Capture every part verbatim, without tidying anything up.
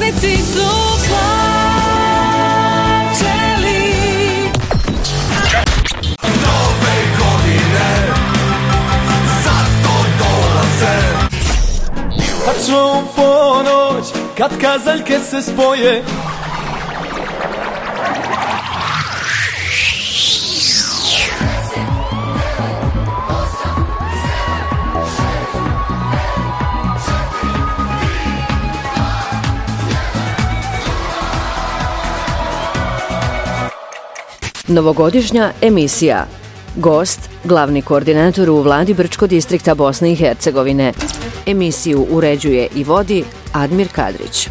putnici su plaćeli. Nove godine zato dolaze. Tačno u ponoć kad kazaljke se spoje, novogodišnja emisija. Gost, glavni koordinator u vladi Brčko distrikta Bosne i Hercegovine. Emisiju uređuje i vodi Admir Kadrić.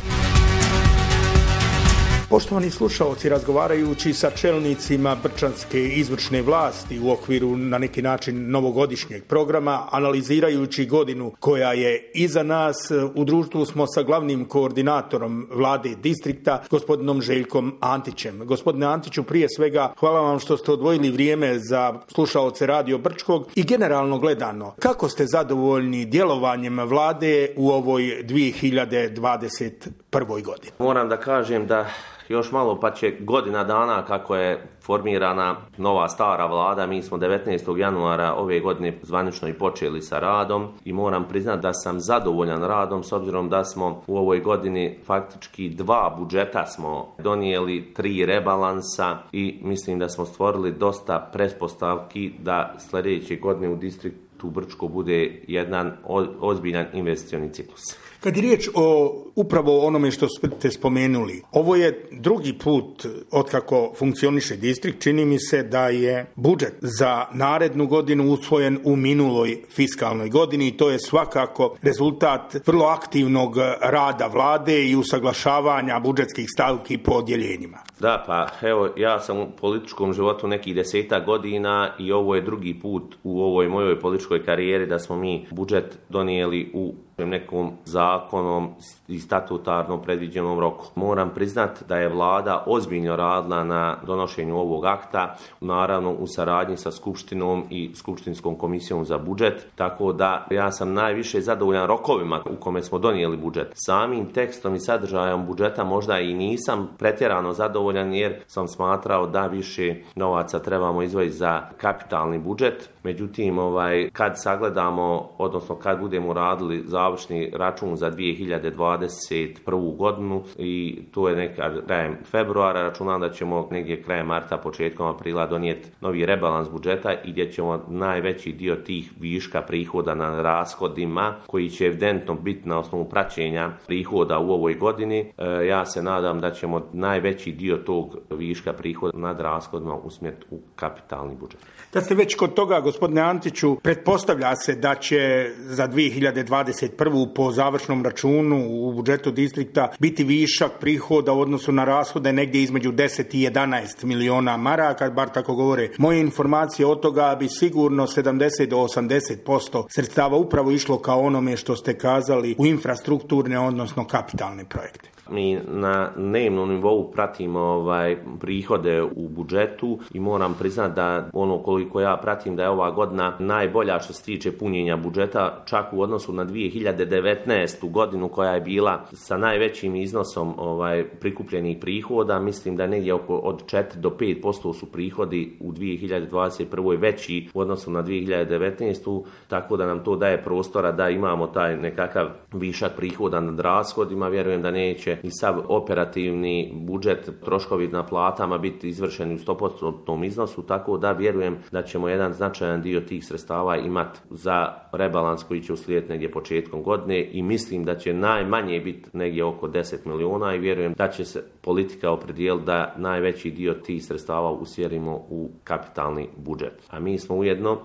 Poštovani slušaoci, razgovarajući sa čelnicima brčanske izvršne vlasti u okviru na neki način novogodišnjeg programa, analizirajući godinu koja je iza nas, u društvu smo sa glavnim koordinatorom vlade distrikta, gospodinom Željkom Antićem. Gospodine Antiću, prije svega hvala vam što ste odvojili vrijeme za slušaoce Radio Brčkog i generalno gledano, kako ste zadovoljni djelovanjem vlade u ovoj dvije hiljade dvadeset prvoj godini? Moram da kažem da još malo pa će godina dana kako je formirana nova stara vlada. Mi smo devetnaestog januara ove godine zvanično i počeli sa radom i moram priznati da sam zadovoljan radom s obzirom da smo u ovoj godini faktički dva budžeta smo donijeli, tri rebalansa i mislim da smo stvorili dosta pretpostavki da sljedeće godine u distriktu Brčko bude jedan ozbiljan investicioni ciklus. Kad je riječ o upravo onome što ste spomenuli, ovo je drugi put otkako funkcioniše distrikt. Čini mi se da je budžet za narednu godinu usvojen u minuloj fiskalnoj godini i to je svakako rezultat vrlo aktivnog rada vlade i usaglašavanja budžetskih stavki po odjeljenjima. Da, pa evo, ja sam u političkom životu nekih desetak godina i ovo je drugi put u ovoj mojoj političkoj karijeri da smo mi budžet donijeli u nekom zakonom i statutarno predviđenom roku. Moram priznati da je vlada ozbiljno radila na donošenju ovog akta, naravno u saradnji sa Skupštinom i Skupštinskom komisijom za budžet, tako da ja sam najviše zadovoljan rokovima u kome smo donijeli budžet. Samim tekstom i sadržajem budžeta možda i nisam pretjerano zadovoljan jer sam smatrao da više novaca trebamo izdvojiti za kapitalni budžet. Međutim, ovaj, kad sagledamo, odnosno kad budemo radili završni račun za dvije hiljade dvadeset prvu godinu i to je neka krajem februara, računam da ćemo negdje krajem marta, početkom aprila donijeti novi rebalans budžeta i gdje ćemo najveći dio tih viška prihoda na rashodima koji će evidentno biti na osnovu praćenja prihoda u ovoj godini. E, ja se nadam da ćemo najveći dio tog viška prihoda nad rashodima usmjeriti u kapitalni budžet. Da ste već kod toga, gospodine Antiću, pretpostavlja se da će za dvije hiljade dvadeset prvu po završnom računu u budžetu distrikta biti višak prihoda u odnosu na rashode negdje između deset i jedanaest miliona maraka, bar tako govore moje informacije. Od toga bi sigurno sedamdeset do osamdeset posto sredstava upravo išlo kao onome što ste kazali u infrastrukturne, odnosno kapitalne projekte. Mi na dnevnom nivou pratimo ovaj, prihode u budžetu i moram priznati da ono koliko ja pratim da je ova godina najbolja što se tiče punjenja budžeta, čak u odnosu na dvije hiljade devetnaestu godinu koja je bila sa najvećim iznosom ovaj, prikupljenih prihoda. Mislim da negdje oko od četiri do pet posto su prihodi u dvije hiljade dvadeset prvoj veći u odnosu na dvije hiljade devetnaestu, tako da nam to daje prostora da imamo taj nekakav višak prihoda nad rashodima. Vjerujem da neće i sav operativni budžet, troškovi na platama biti izvršeni u sto posto iznosu, tako da vjerujem da ćemo jedan značajan dio tih sredstava imati za rebalans koji će uslijediti negdje početkom godine i mislim da će najmanje biti negdje oko deset miliona i vjerujem da će se politika opredijeliti da najveći dio tih sredstava usmjerimo u kapitalni budžet. A mi smo ujedno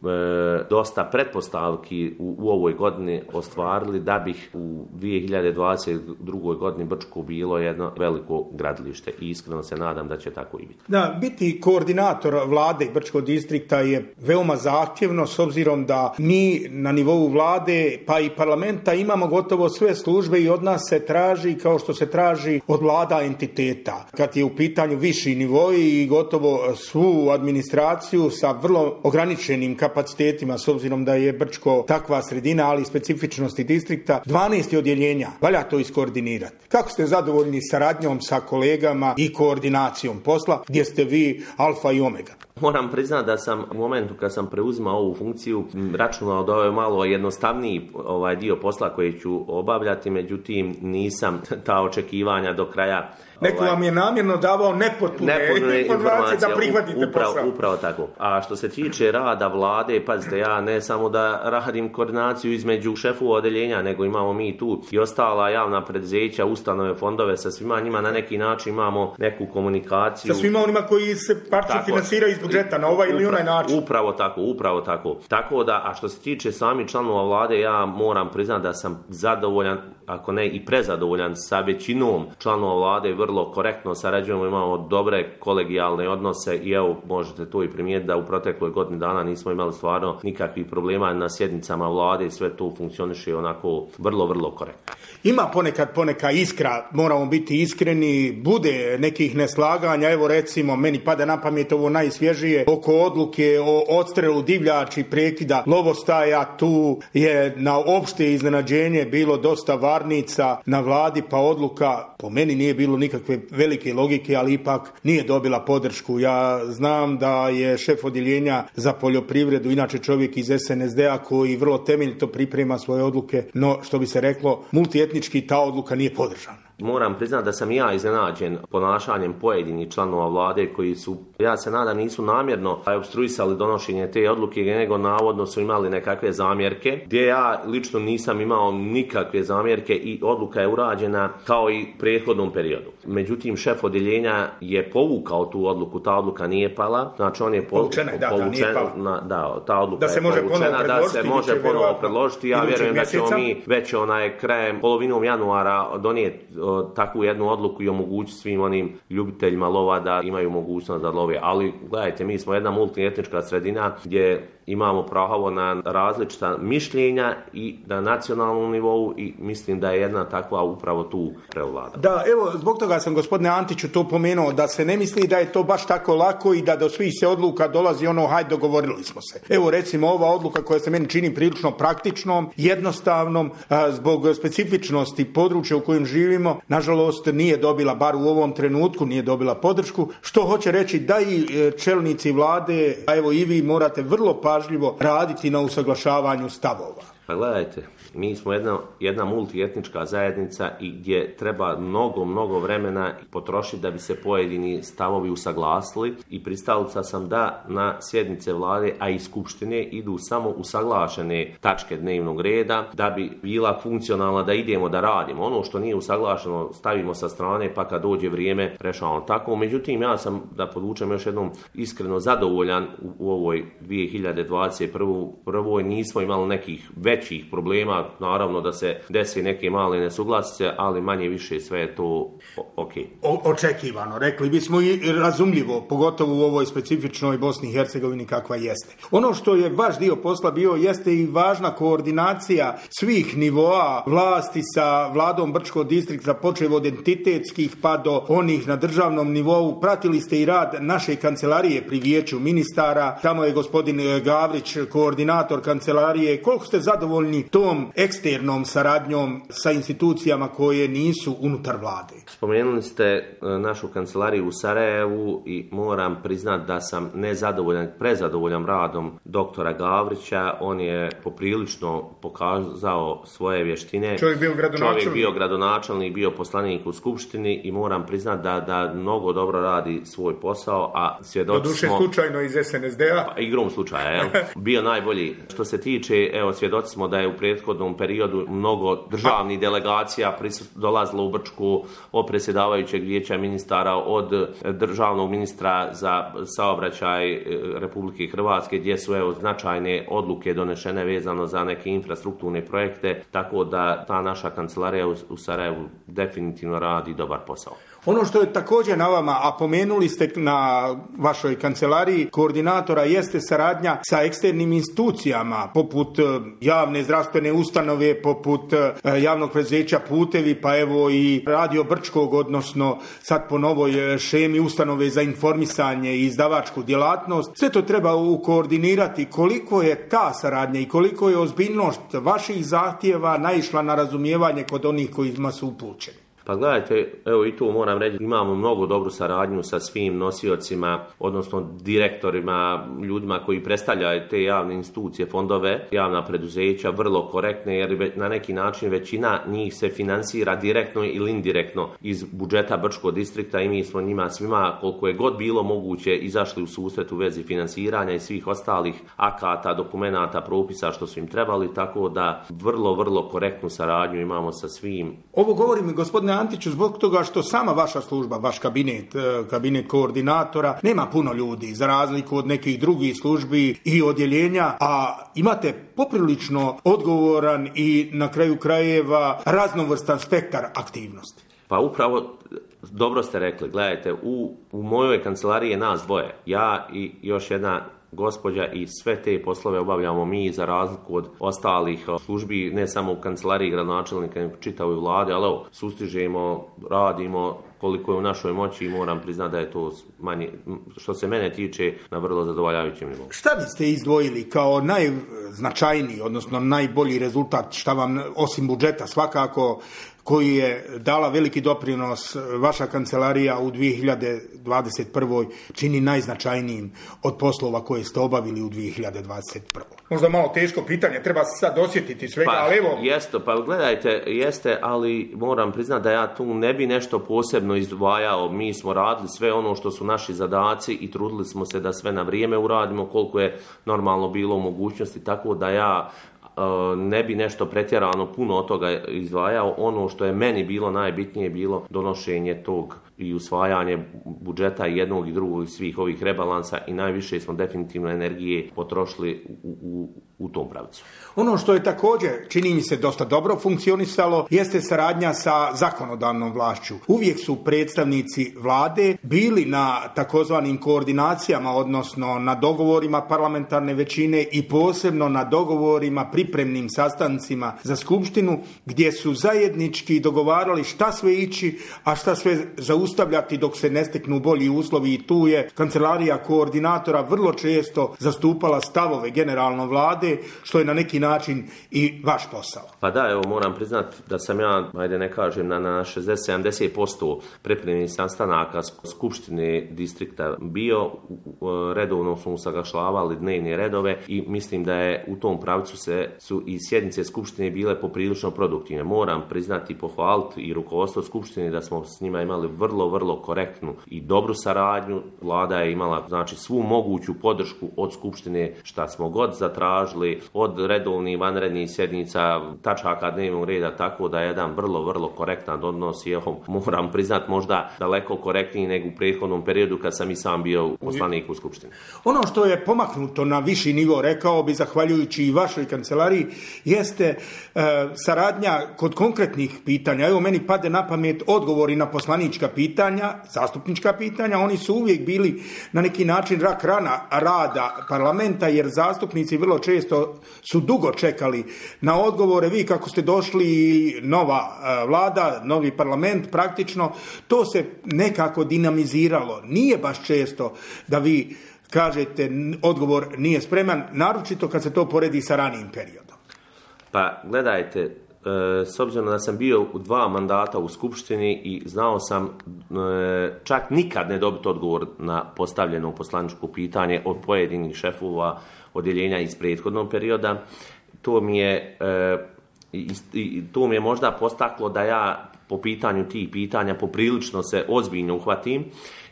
E, dosta pretpostavki u, u ovoj godini ostvarili da bih u dvije hiljade dvadeset drugoj godini Brčko bilo jedno veliko gradilište i iskreno se nadam da će tako i biti. Da, biti koordinator vlade Brčkog distrikta je veoma zahtjevno s obzirom da mi na nivou vlade pa i parlamenta imamo gotovo sve službe i od nas se traži kao što se traži od vlada entiteta. Kad je u pitanju viši nivoi i gotovo svu administraciju sa vrlo ograničenim kapacitetom kapacitetima, s obzirom da je Brčko takva sredina, ali i specifičnosti distrikta, dvanaest odjeljenja, valja to iskoordinirati. Kako ste zadovoljni saradnjom sa kolegama i koordinacijom posla, gdje ste vi alfa i omega? Moram priznati da sam u momentu kad sam preuzimao ovu funkciju računao da ovo je malo jednostavniji ovaj dio posla koji ću obavljati, međutim nisam ta očekivanja do kraja. Neko vam je namjerno davao nepotpune, nepotpune informacije da prihvatite upravo, posao. Upravo tako. A što se tiče rada vlade, pazite, ja ne samo da radim koordinaciju između šefova odeljenja, nego imamo mi tu i ostala javna preduzeća, ustanove, fondove, sa svima njima na neki način imamo neku komunikaciju. Sa svima onima koji se parče finansiraju iz budžeta na ovaj ili onaj način. Upravo tako, upravo tako. Tako da, a što se tiče samih članova vlade, ja moram priznati da sam zadovoljan, ako ne i prezadovoljan sa većinom članova vlade, vrlo korektno sarađujemo, imamo dobre kolegijalne odnose i evo možete to i primijetiti da u protekloj godini dana nismo imali stvarno nikakvih problema na sjednicama vlade i sve to funkcioniše onako vrlo, vrlo korektno. Ima ponekad poneka iskra, moramo biti iskreni, bude nekih neslaganja, evo recimo meni pada na pamet ovo najsvježije oko odluke o odstrelu divljači, prekida lovostaja, tu je na opšte iznenađenje bilo dosta varnica na vladi, pa odluka po meni nije bilo nikakve velike logike, ali ipak nije dobila podršku. Ja znam da je šef odjeljenja za poljoprivredu, inače čovjek iz es en es de a koji vrlo temeljito priprema svoje odluke, no što bi se reklo, multietnički ta odluka nije podržana. Moram priznati da sam ja iznenađen ponašanjem pojedinih članova vlade koji su, ja se nadam, nisu namjerno opstruisali donošenje te odluke, nego navodno su imali nekakve zamjerke, gdje ja lično nisam imao nikakve zamjerke i odluka je urađena kao i prethodnom periodu. Međutim, šef odjeljenja je povukao tu odluku, ta odluka nije pala, znači on je po, povučena, da, povučen, ta nije pala. Na, da, ta odluka da se je može povučena, da se može ponovo predložiti. Ja vjerujem da ćemo mi već onaj krajem, polovinom januara donijeti takvu jednu odluku i omogućiti svim onim ljubiteljima lova da imaju mogućnost da love. Ali gledajte, mi smo jedna multietnička sredina gdje imamo pravo na različita mišljenja i na nacionalnom nivou i mislim da je jedna takva upravo tu prevlada. Da, evo, zbog toga sam gospodine Antiću to pomenuo, da se ne misli da je to baš tako lako i da do svih se odluka dolazi ono, hajde, dogovorili smo se. Evo, recimo, ova odluka koja se meni čini prilično praktičnom, jednostavnom, a, zbog specifičnosti područja u kojem živimo, nažalost nije dobila, bar u ovom trenutku, nije dobila podršku, što hoće reći da i čelnici vlade, a evo i vi morate vrlo pažljivo raditi na usaglašavanju stavova. Pa gledajte, mi smo jedna, jedna multietnička zajednica i gdje treba mnogo, mnogo vremena potrošiti da bi se pojedini stavovi usaglasili i pristalica sam da na sjednice vlade, a i skupštine idu samo usaglašene tačke dnevnog reda da bi bila funkcionalna, da idemo da radimo. Ono što nije usaglašeno stavimo sa strane pa kad dođe vrijeme rešavamo tako. Međutim, ja sam, da podvučem još jednom, iskreno zadovoljan u, u ovoj dvije hiljade dvadeset prvoj nismo imali nekih većih problema, naravno da se desi neke male nesuglasice, ali manje više sve je to ok. O, očekivano, rekli bismo i razumljivo, pogotovo u ovoj specifičnoj Bosni i Hercegovini kakva jeste. Ono što je vaš dio posla bio jeste i važna koordinacija svih nivoa vlasti sa vladom Brčkog distrikta, počev od entitetskih pa do onih na državnom nivou. Pratili ste i rad naše kancelarije pri vijeću ministara, tamo je gospodin Gavrić koordinator kancelarije. Koliko ste zadovoljni tom eksternom saradnjom sa institucijama koje nisu unutar vlade? Spomenuli ste našu kancelariju u Sarajevu i moram priznati da sam nezadovoljan, prezadovoljan radom doktora Gavrića. On je poprilično pokazao svoje vještine. Čovjek bio gradonačelnik. Čovjek bio gradonačelnik, bio poslanik u skupštini i moram priznati da, da mnogo dobro radi svoj posao, a svjedoci smo... Doduše slučajno iz es en es de a. Pa, igrom slučaja, jel? Bio najbolji. Što se tiče, evo, svjedoci smo da je u prethodnom periodu mnogo državnih delegacija dolazilo u Brčku, od predsjedavajućeg vijeća ministara, od državnog ministra za saobraćaj Republike Hrvatske, gdje su evo značajne odluke donešene vezano za neke infrastrukturne projekte, tako da ta naša kancelarija u Sarajevu definitivno radi dobar posao. Ono što je također na vama, a pomenuli ste na vašoj kancelariji koordinatora, jeste saradnja sa eksternim institucijama, poput javne zdravstvene ustanove, poput javnog preduzeća Putevi, pa evo i Radio Brčkog, odnosno sad po novoj šemi ustanove za informisanje i izdavačku djelatnost. Sve to treba ukoordinirati. Koliko je ta saradnja i koliko je ozbiljnost vaših zahtjeva naišla na razumijevanje kod onih kojima su upućeni? Pa gledajte, evo i tu moram reći, imamo mnogo dobru saradnju sa svim nosiocima, odnosno direktorima, ljudima koji predstavljaju te javne institucije, fondove, javna preduzeća, vrlo korektne, jer na neki način većina njih se finansira direktno ili indirektno iz budžeta Brčkog distrikta i mi smo njima svima, koliko je god bilo moguće, izašli u susret u vezi finansiranja i svih ostalih akata, dokumenata, propisa što su im trebali, tako da vrlo, vrlo korektnu saradnju imamo sa svim. Ovo govorim, gospodine Antiću, zbog toga što sama vaša služba, vaš kabinet, kabinet koordinatora, nema puno ljudi, za razliku od nekih drugih službi i odjeljenja, a imate poprilično odgovoran i na kraju krajeva raznovrstan spektar aktivnosti. Pa upravo, dobro ste rekli, gledajte, u, u mojoj kancelariji je nas dvoje, ja i još jedna gospođa i sve te poslove obavljamo mi za razliku od ostalih službi, ne samo u kancelariji gradonačelnika, nego čitavoj vladi, ali evo, sustižemo, radimo koliko je u našoj moći i moram priznati da je to manje, što se mene tiče, na vrlo zadovoljavajućem nivou. Šta biste izdvojili kao najznačajniji, odnosno najbolji rezultat, šta vam osim budžeta svakako, koji je dala veliki doprinos vaša kancelarija u dvije hiljade dvadeset prvoj čini najznačajnijim od poslova koje ste obavili u dvije hiljade dvadeset prvoj? Možda malo teško pitanje, treba se sad osjetiti svega, pa, ali evo... Jeste, pa gledajte, jeste, ali moram priznati da ja tu ne bi nešto posebno izdvajao. Mi smo radili sve ono što su naši zadaci i trudili smo se da sve na vrijeme uradimo koliko je normalno bilo u mogućnosti, tako da ja ne bi nešto pretjerano puno od toga izdvajao. Ono što je meni bilo najbitnije bilo donošenje tog i usvajanje budžeta jednog i drugog i svih ovih rebalansa i najviše smo definitivno energije potrošili u, u, u tom pravcu. Ono što je također, čini mi se, dosta dobro funkcionisalo, jeste saradnja sa zakonodavnom vlašću. Uvijek su predstavnici vlade bili na takozvanim koordinacijama, odnosno na dogovorima parlamentarne većine i posebno na dogovorima, pripremnim sastancima za skupštinu, gdje su zajednički dogovarali šta sve ići, a šta sve zaustavljati dok se ne steknu bolji uslovi, i tu je kancelarija koordinatora vrlo često zastupala stavove generalno vlade, što je na neki način i vaš posao. Pa da, evo moram priznati da sam ja, ajde ne kažem, na, na šezdeset do sedamdeset posto pripremljenih sastanaka skupštine distrikta bio, redovno smo usaglašavali dnevne redove i mislim da je u tom pravcu se su i sjednice skupštine bile poprilično produktivne. Moram priznati i pohvaliti i rukovodstvo skupštine da smo s njima imali vrlo, vrlo korektnu i dobru saradnju. Vlada je imala, znači, svu moguću podršku od skupštine šta smo god zatražili, od redovnih vanrednih sjednica, tačaka dnevnog reda, tako da je jedan vrlo, vrlo korektan odnos i evo, moram priznati možda daleko korektniji nego u prethodnom periodu kad sam i sam bio poslanik u skupštini. Ono što je pomaknuto na viši nivo, rekao bi, zahvaljujući i vašoj kancelariji, jeste e, saradnja kod konkretnih pitanja. Evo, meni pade na pamet odgovori na poslanička pitanja, zastupnička pitanja. Oni su uvijek bili na neki način rak rana rada parlamenta, jer zastupnici vrlo često su dugo čekali na odgovore. Vi kako ste došli, nova e, vlada, novi parlament, praktično to se nekako dinamiziralo. Nije baš često da vi kažete odgovor nije spreman, naročito kad se to poredi sa ranijim periodom. Pa gledajte, e, s obzirom da sam bio u dva mandata u skupštini i znao sam e, čak nikad ne dobiti odgovor na postavljeno poslaničko pitanje od pojedinih šefova odjeljenja iz prethodnog perioda, to mi je e, i, i, to mi je možda postaklo da ja po pitanju tih pitanja poprilično se ozbiljno uhvatim.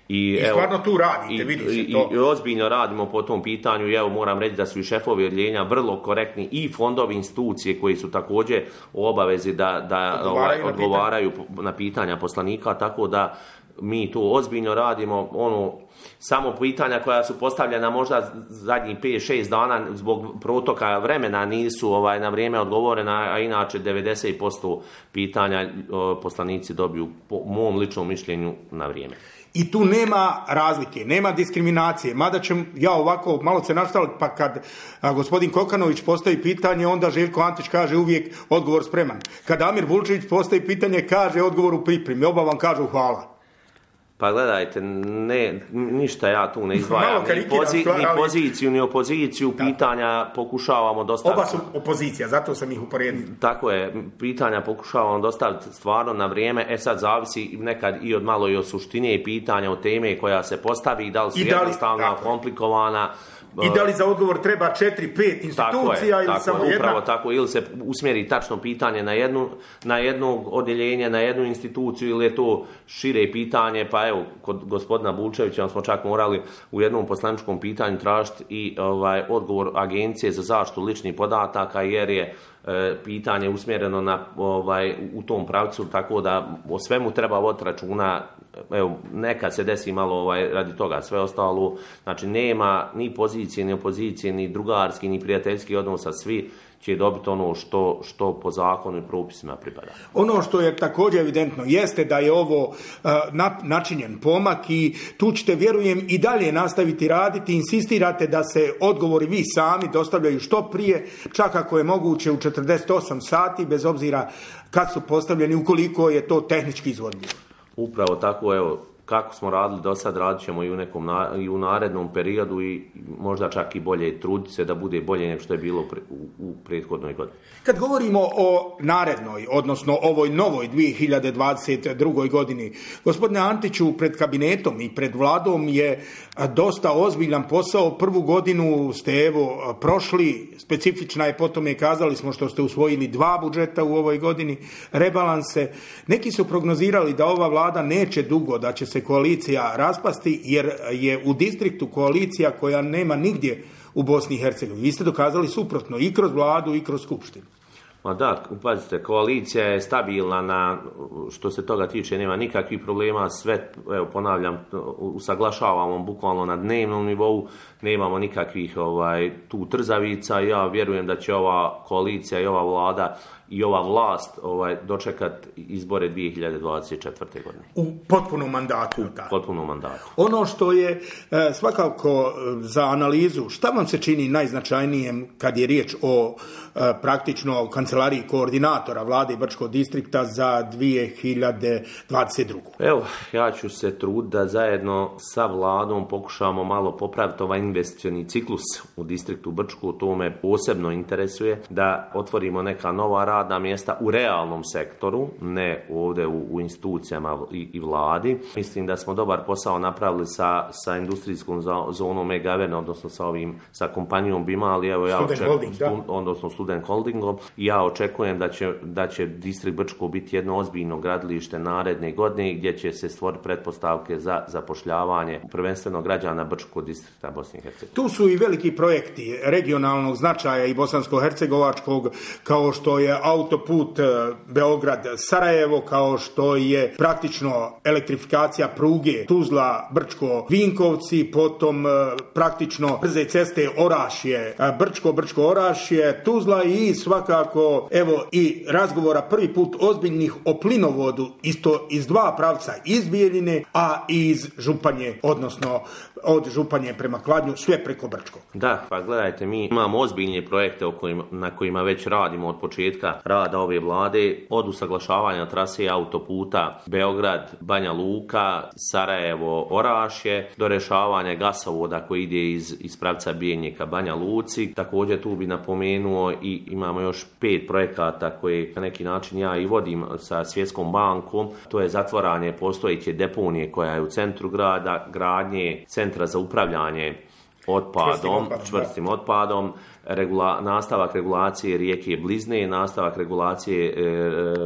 I, I stvarno evo, tu radite, vidi se to. I, i ozbiljno radimo po tom pitanju i evo moram reći da su i šefovi odjeljenja vrlo korektni i fondovi, institucije koji su također u obavezi da, da odgovaraju, ovaj, odgovaraju na, pitanja. na pitanja poslanika, tako da mi to ozbiljno radimo, ono, samo pitanja koja su postavljena možda zadnjih pet šest dana zbog protoka vremena nisu ovaj, na vrijeme odgovorena, a inače devedeset posto pitanja poslanici dobiju po mom ličnom mišljenju na vrijeme. I tu nema razlike, nema diskriminacije, mada ćem ja ovako malo se naštaliti, pa kad a, gospodin Kokanović postavi pitanje, onda Željko Antić kaže uvijek odgovor spreman. Kad Amir Bulčević postavi pitanje, kaže odgovor u pripremi, oba vam kažu hvala. Pa gledajte, ne, ništa ja tu ne izdvajam, ni, pozi, ni poziciju, ni opoziciju, da. Pitanja pokušavamo dostaviti. Oba su opozicija, zato sam ih uporedio. Tako je, pitanja pokušavamo dostaviti stvarno na vrijeme, e sad zavisi nekad i od malo i od suštine i pitanja, od teme koja se postavi, da li su jednostavno komplikovana. I da li za odgovor treba četiri pet institucija je, ili samo jedna? Upravo tako, ili se usmjeri tačno pitanje na, jednu, na jednog odjeljenja, na jednu instituciju, ili je to šire pitanje, pa evo, kod gospodina Bulčevića smo čak morali u jednom poslaničkom pitanju tražiti i ovaj, odgovor Agencije za zaštitu ličnih podataka, jer je e, pitanje usmjereno na, ovaj, u tom pravcu, tako da o svemu treba voditi računa. Evo, nekad se desi malo ovaj, radi toga, sve ostalo, znači nema ni pozicije, ni opozicije, ni drugarski, ni prijateljski odnosa, svi će dobiti ono što, što po zakonu i propisima pripada. Ono što je također evidentno jeste da je ovo uh, načinjen pomak i tu ćete, vjerujem, i dalje nastaviti raditi, insistirate da se odgovori vi sami dostavljaju što prije, čak ako je moguće u četrdeset osam sati, bez obzira kad su postavljeni, ukoliko je to tehnički izvodljivo. Upravo tako, evo, kako smo radili do sad, radit ćemo i u, nekom na, i u narednom periodu i možda čak i bolje truditi se da bude bolje nego što je bilo pre, u, u prethodnoj godini. Kad govorimo o narednoj, odnosno ovoj novoj dvije hiljade dvadeset druge. godini, gospodine Antiću, pred kabinetom i pred vladom je dosta ozbiljan posao. Prvu godinu ste evo prošli, specifična je, potom je, kazali smo, što ste usvojili dva budžeta u ovoj godini, rebalanse. Neki su prognozirali da ova vlada neće dugo, da će se koalicija raspasti, jer je u distriktu koalicija koja nema nigdje u Bosni i Hercegovini. Vi ste dokazali suprotno i kroz vladu i kroz skupštinu. Ma da, pazite, koalicija je stabilna, na, što se toga tiče, nema nikakvih problema, sve, evo ponavljam, usaglašavamo bukvalno na dnevnom nivou, nemamo nikakvih ovaj, tu trzavica. Ja vjerujem da će ova koalicija i ova vlada i ova vlast ovaj, dočekat izbore dvije hiljade dvadeset četvrte. godine. U potpunom mandatu. U potpunom mandatu. Ono što je e, svakako za analizu, šta vam se čini najznačajnijem kad je riječ o e, praktično kancelariji koordinatora vlade Brčkog distrikta za dvije hiljade dvadeset drugu. Evo, ja ću se truditi da zajedno sa vladom pokušamo malo popraviti ovaj investicioni ciklus u distriktu Brčku. To me posebno interesuje, da otvorimo neka nova radna mjesta u realnom sektoru, ne ovdje u, u institucijama i, i vladi. Mislim da smo dobar posao napravili sa, sa industrijskom zonom Megaven, odnosno sa ovim, sa kompanijom Bima, ali evo ja očekujem, stu, odnosno Student Holdingom, i ja očekujem da će, da će distrikt Brčko biti jedno ozbiljno gradilište naredne godine gdje će se stvoriti pretpostavke za zapošljavanje prvenstveno građana Brčkog distrikta Bosne i Hercegovine. Tu su i veliki projekti regionalnog značaja i bosansko-hercegovačkog, kao što je autoput Beograd-Sarajevo, kao što je praktično elektrifikacija pruge Tuzla-Brčko-Vinkovci, potom praktično brze ceste Orašje, Brčko, Brčko-Orašje, Tuzla, i svakako evo i razgovora prvi put ozbiljnih o plinovodu, isto iz dva pravca, iz Bijeljine, a i iz Županje, odnosno od Županje prema Kladnju, sve preko Brčkog. Da, pa gledajte, mi imamo ozbiljne projekte o kojima, na kojima već radimo od početka rada ove vlade, od usaglašavanja trase autoputa Beograd, Banja Luka, Sarajevo, Orašje, do rješavanja gasovoda koji ide iz, iz pravca Bijeljine ka Banja Luci. Također tu bi napomenuo i imamo još pet projekata koje na neki način ja i vodim sa Svjetskom bankom. To je zatvaranje postojeće deponije koja je u centru grada, gradnje centra za upravljanje otpadom, čvrstim otpadom, regula, nastavak regulacije rijeke Blizne, nastavak regulacije e,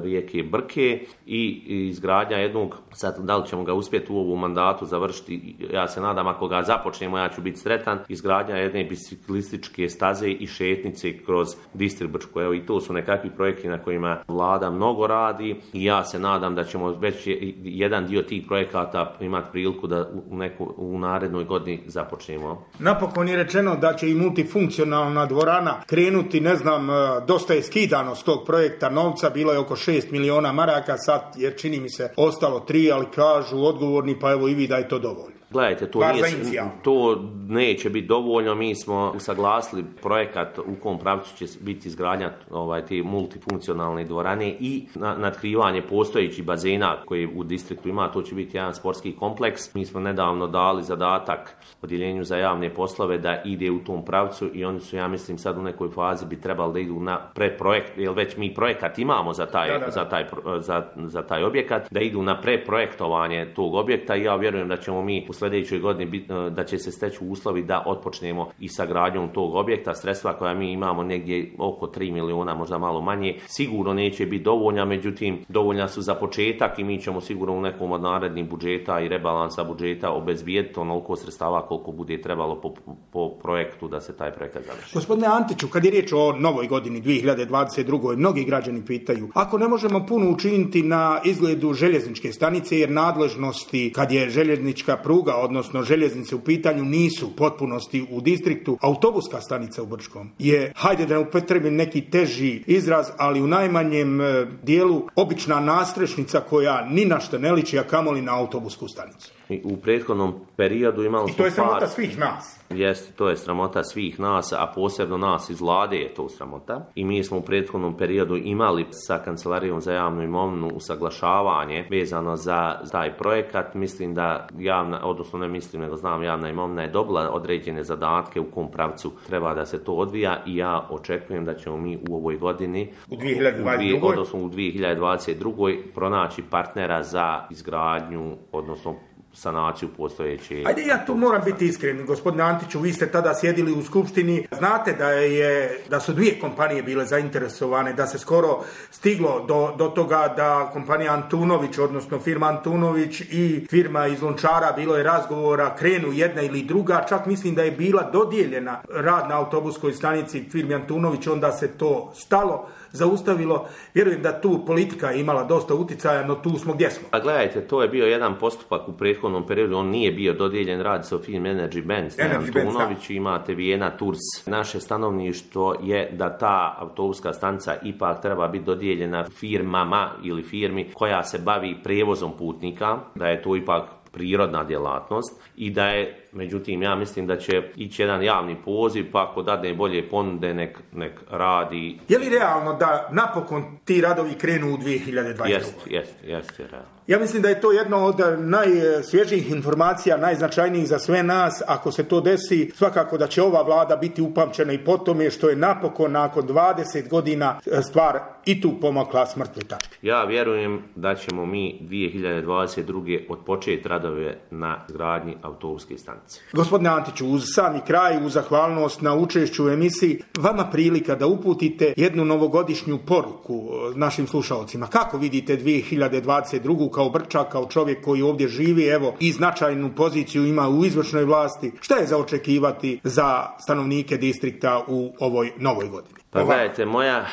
rijeke Brke i izgradnja jednog, sad da li ćemo ga uspjeti u ovom mandatu završiti, ja se nadam ako ga započnemo ja ću biti sretan, izgradnja jedne biciklističke staze i šetnice kroz distrikt Brčko. Evo i to su nekakvi projekti na kojima vlada mnogo radi i ja se nadam da ćemo već jedan dio tih projekata imati priliku da u, neku, u narednoj godini započnemo. Napokon je rečeno da će i multifunkcionalna dvorana krenuti, ne znam, dosta je skidano s tog projekta novca, bilo je oko šest miliona maraka, sad jer čini mi se ostalo tri, ali kažu odgovorni, pa evo i vi da je to dovoljno. Gledajte, to, nije, to neće biti dovoljno, mi smo usaglasili projekat u kom pravcu će biti izgradnja ovaj, te multifunkcionalne dvorane i na, natkrivanje postojećih bazena koji u distriktu ima, to će biti jedan sportski kompleks. Mi smo nedavno dali zadatak odjeljenju za javne poslove da ide u tom pravcu i oni su, ja mislim, sad u nekoj fazi bi trebali da idu na preprojekt, jer već mi projekat imamo za taj, da, da, da. Za, taj, za, za taj objekat, da idu na preprojektovanje tog objekta i ja vjerujem da ćemo mi u sljedećoj godini da će se steći uslovi da otpočnemo i sa gradnjom tog objekta. Sredstva koja mi imamo negdje oko tri miliona, možda malo manje, sigurno neće biti dovoljna, međutim dovoljna su za početak i mi ćemo sigurno u nekom od narednih budžeta i rebalansa budžeta obezbijediti onoliko sredstava koliko bude trebalo po, po projektu da se taj projekat završi. Gospodine Antiću, kad je riječ o novoj godini dvije hiljade dvadeset druge. mnogi građani pitaju, ako ne možemo puno učiniti na izgledu željezničke stanice jer nadležnosti kad je željeznička pruga, odnosno željeznice u pitanju nisu potpunosti u distriktu, autobuska stanica u Brčkom je, hajde da ne upotrebim neki teži izraz, ali u najmanjem dijelu obična nastrešnica koja ni na što ne liči, a kamoli na autobusku stanicu. U prethodnom periodu imali smo I to je sramota par... svih nas. Jeste, to je sramota svih nas, a posebno nas iz vlade je to sramota. I mi smo u prethodnom periodu imali sa Kancelarijom za javnu imovinu usaglašavanje vezano za taj projekat. Mislim da javna, odnosno ne mislim, nego znam, javna imovina je dobila određene zadatke u kom pravcu treba da se to odvija i ja očekujem da ćemo mi u ovoj godini, u dvije hiljade dvadeset druge. odnosno u dvije hiljade dvadeset druge. pronaći partnera za izgradnju, odnosno sanaciju postojeće. Ajde, ja tu moram biti iskren, gospodine Antiću, vi ste tada sjedili u skupštini, znate da je da su dvije kompanije bile zainteresovane, da se skoro stiglo do, do toga da kompanija Antunović, odnosno firma Antunović i firma iz Lončara, bilo je razgovora, krenu jedna ili druga, čak mislim da je bila dodijeljena rad na autobuskoj stanici firmi Antunović, onda se to stalo, zaustavilo. Vjerujem da tu politika je imala dosta uticaja, no tu smo gdje smo. A gledajte, to je bio jedan postupak u prethodnom periodu, on nije bio dodijeljen, radi se o firmi Energy Benz, Antunović, imate Vijena Tours. Naše stanovništvo je da ta autobuska stanica ipak treba biti dodijeljena firmama ili firmi koja se bavi prijevozom putnika, da je to ipak prirodna djelatnost i da je, međutim, ja mislim da će ići jedan javni poziv, pa ako dadne bolje ponude, nek, nek radi. Je li realno da napokon ti radovi krenu u dvije hiljade dvadeset druge? Jest, jest, jest, je realno. Ja mislim da je to jedno od najsvježijih informacija, najznačajnijih za sve nas. Ako se to desi, svakako da će ova vlada biti upamćena i po tome što je napokon nakon dvadeset godina stvar i tu pomakla s mrtve tačke. Ja vjerujem da ćemo mi dvije hiljade dvadeset druge odpočeti radove na izgradnji autobuske stanice. Gospodine Antiću, uz sami kraj, uz zahvalnost na učešću u emisiji, vama prilika da uputite jednu novogodišnju poruku našim slušalcima. Kako vidite dvije hiljade dvadeset drugu kao Brčak, kao čovjek koji ovdje živi, evo, i značajnu poziciju ima u izvršnoj vlasti? Šta je za očekivati za stanovnike distrikta u ovoj novoj godini? Pa gledajte, moja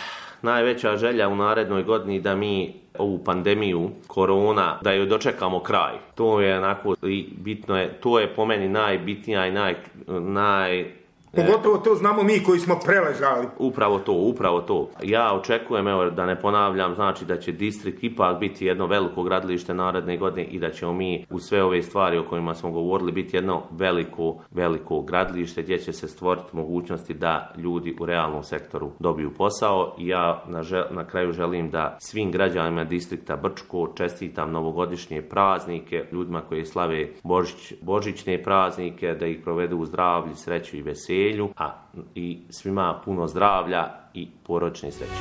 najveća želja u narednoj godini da mi ovu pandemiju korona, da joj dočekamo kraj. To je onako, i bitno je, to je po meni najbitnija i naj, naj Pogotovo to znamo mi koji smo preležali. Upravo to, upravo to. Ja očekujem, evo, da ne ponavljam, znači da će distrikt ipak biti jedno veliko gradilište naredne godine i da ćemo mi u sve ove stvari o kojima smo govorili biti jedno veliko, veliko gradilište gdje će se stvoriti mogućnosti da ljudi u realnom sektoru dobiju posao. I ja na, žel, na kraju želim da svim građanima distrikta Brčko čestitam novogodišnje praznike, ljudima koji slave Božić, božićne praznike, da ih provedu u zdravlju, sreću i veselju. A i svima puno zdravlja i porodične sreće.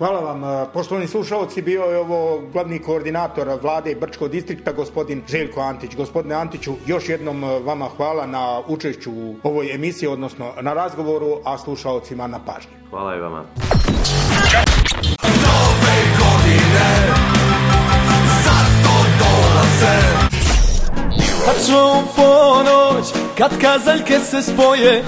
Hvala vam. Poštovani slušalci, bio je ovo glavni koordinator vlade Brčkog distrikta, gospodin Željko Antić. Gospodine Antiću, još jednom vama hvala na učešću u ovoj emisiji, odnosno na razgovoru, a slušalcima na pažnji. Hvala i vama. Nove godine zato dolaze. Tačno u ponoć, kad kazaljke se spoje,